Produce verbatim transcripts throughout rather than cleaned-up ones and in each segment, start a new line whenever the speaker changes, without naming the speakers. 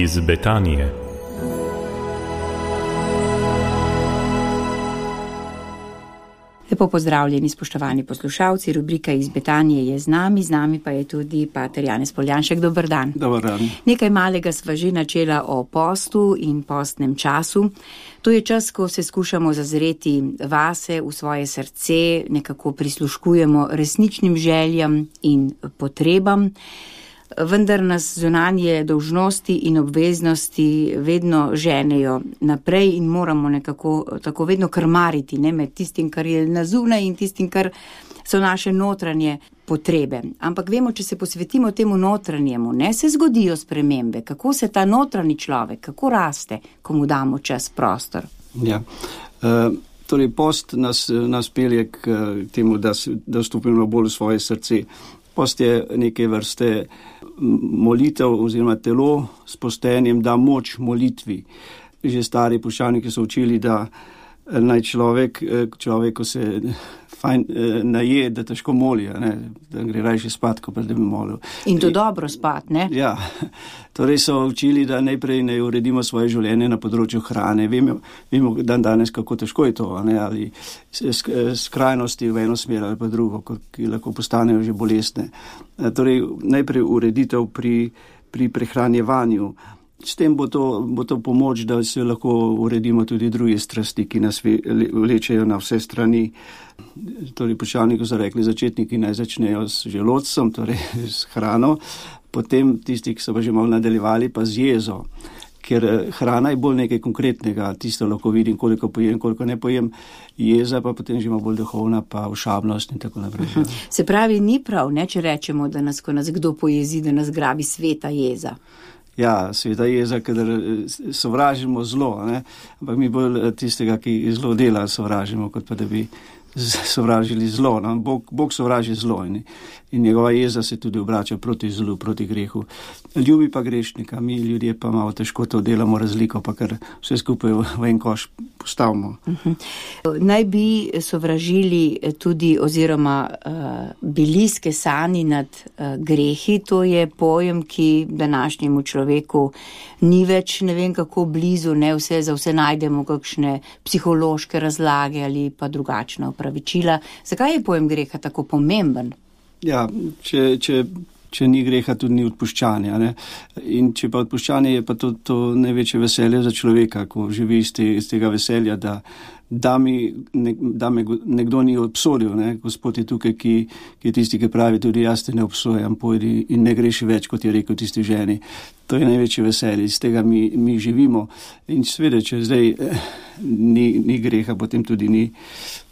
iz Betanije.
Lepo pozdravljeni, spoštovani poslušalci, rubrika iz Betanije je z nami, z nami pa je tudi pater Janez Poljanšek. Dober dan.
Dober dan.
Nekaj malega sva že načela o postu in postnem času. To je čas, ko se skušamo zazreti vase, v svoje srce, nekako prisluškujemo resničnim željam in potrebam. Vendar nas zunanje dolžnosti in obveznosti vedno ženejo naprej in moramo nekako tako vedno krmariti, ne, med tistim, kar je na zunaj in tistim, kar so naše notranje potrebe. Ampak vemo, če se posvetimo temu notranjemu, ne, se zgodijo spremembe. Kako se ta notranji človek, kako raste, ko mu damo čas, prostor?
Ja, uh, torej post nas, nas pelje k temu, da, da vstopimo bolj v svoje srce. Post je neke vrste molitev oziroma telo s postenjem da moč molitvi. Že stari puščavniki so učili, da naj človek, človek, ko se fajn naje, da težko moli, ne? Da gre rajši spat, ko pa da bi molil.
In to dobro spat, ne?
Ja, torej so učili, da najprej ne uredimo svoje življenje na področju hrane. Vemo, vemo dan danes, kako težko je to, ne? Ali skrajnosti v eno smer ali pa drugo, ki lahko postanejo že bolestne. Torej, najprej ureditev pri, pri prehranjevanju. S tem bo to, bo to pomoč, da se lahko uredimo tudi druge strasti, ki nas vlečejo na vse strani. Torej, puščavniki so rekli, začetniki naj začnejo s želodcem, torej s hrano, potem tisti, ki so pa že malo nadaljevali, pa z jezo. Ker hrana je bolj nekaj konkretnega, tisto lahko vidim, koliko pojem, koliko ne pojem, jeza pa potem že ima bolj duhovna, pa všabnost in tako naprej.
Se pravi, ni prav, ne, če rečemo, da nas, ko nas kdo pojezi, da nas grabi sveta jeza.
Ja, sveta jeza, kadar sovražimo zlo, ne? Ampak mi bolj tistega, ki zlo dela, sovražimo, kot pa da bi sovražili zlo. No? Bog, Bog sovraži zlo in, in njegova jeza se tudi obrača proti zlu, proti grehu. Ljubi pa grešnika, mi ljudje pa malo težko to delamo razliko, pa kar vse skupaj v en koš postavimo.
Uh-huh. Naj bi sovražili tudi oziroma uh, bili skesani nad uh, grehi, to je pojem, ki današnjemu človeku ni več ne vem kako blizu, ne vse, za vse najdemo kakšne psihološke razlage ali pa drugačna opravičila. Zakaj je pojem greha tako pomemben?
Ja, če, če, če ni greha, tudi ni odpuščanja. Ne? In če pa odpuščanje, je pa to, to največje veselje za človeka, ko živi iz, te, iz tega veselja, da, da, mi, ne, da me nekdo ni obsodil. Ne? Gospod je tukaj, ki, ki je tisti, ki pravi, tudi jaz te ne obsojam, pojdi in ne greši več, kot je rekel tisti ženi. To je največje veselje, iz tega mi, mi živimo. In seveda, če zdaj eh, ni, ni greha, potem tudi ni.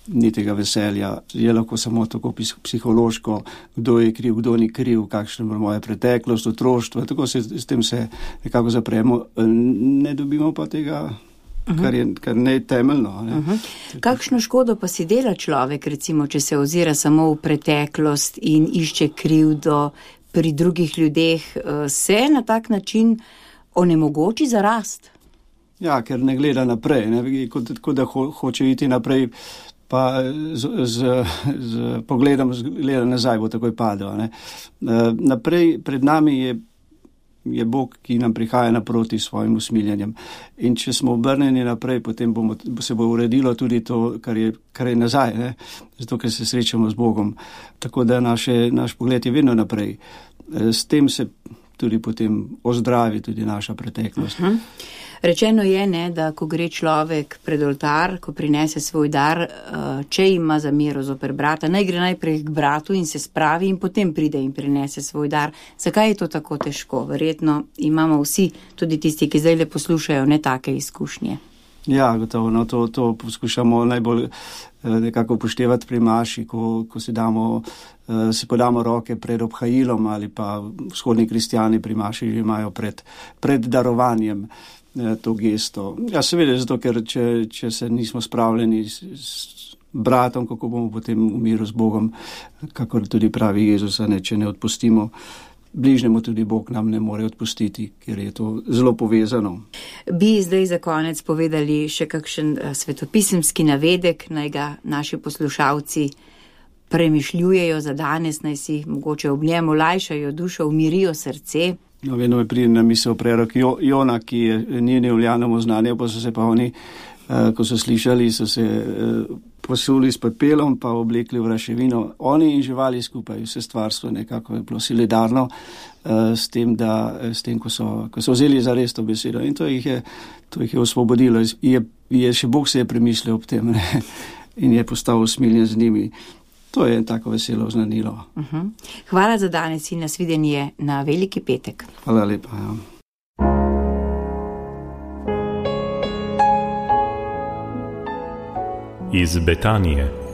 Ni tega veselja, je lahko samo tako psihološko, kdo je kriv, kdo ni kriv, kakšna je moja preteklost, otroštvo, tako se s tem se nekako zapremo, ne dobimo pa tega, uh-huh. kar je kar ne temeljno. Ne?
Uh-huh. Kakšno škodo pa si dela človek, recimo, če se ozira samo v preteklost in išče krivdo pri drugih ljudeh, se na tak način onemogoči za rast?
Ja, ker ne gleda naprej, ne? Kot, kot da ho, hoče iti naprej, pa z, z, z pogledom gleda nazaj bo takoj padel. Ne? Naprej pred nami je, je Bog, ki nam prihaja naproti svojim usmiljenjem. In če smo obrnjeni naprej, potem bomo, se bo uredilo tudi to, kar je, kar je nazaj, ne? Zato, ker se srečamo z Bogom. Tako da naše, naš pogled je vedno naprej. S tem se tudi potem ozdravi tudi naša preteklost.
Uh-huh. Rečeno je, ne, da ko gre človek pred oltar, ko prinese svoj dar, če ima zamero zoper brata, naj gre najprej k bratu in se spravi in potem pride in prinese svoj dar. Zakaj je to tako težko? Verjetno imamo vsi, tudi tisti, ki zdaj le poslušajo, ne take izkušnje.
Ja, gotovo, no, to, to poskušamo najbolj nekako upoštevati pri maši, ko, ko si damo, si podamo roke pred obhajilom ali pa vzhodni kristjani pri maši že imajo pred, pred darovanjem to gesto. Ja, seveda, zato, ker če, če se nismo spravljeni s, s bratom, kako bomo potem v miru z Bogom, kakor tudi pravi Jezus, ne, če ne odpustimo bližnjemu, tudi Bog nam ne more odpustiti, ker je to zelo povezano.
Bi zdaj za konec povedali še kakšen svetopisemski navedek, naj ga naši poslušalci premišljujejo za danes, naj si mogoče ob njemu lajšajo dušo, umirijo srce.
No, vedno me pride na misel prerok jo, Jona, ki je ni nevljanemu znanju, pa so se pa oni, uh, ko so slišali, so se uh, posuli s pepelom, pa oblekli v raševino. Oni in živali skupaj, vse stvarstvo nekako je bilo solidarno uh, s tem, da, s tem ko, so, ko so vzeli za res to besedo. In to jih je, to jih je osvobodilo. Je, je, še Bog se je premislil ob tem, ne? In je postal usmiljen z njimi. To je tako veselo oznanilo.
Uh-huh. Hvala za danes in nasvidenje na Veliki petek.
Hvala lepa. Ja.
Iz Betanije.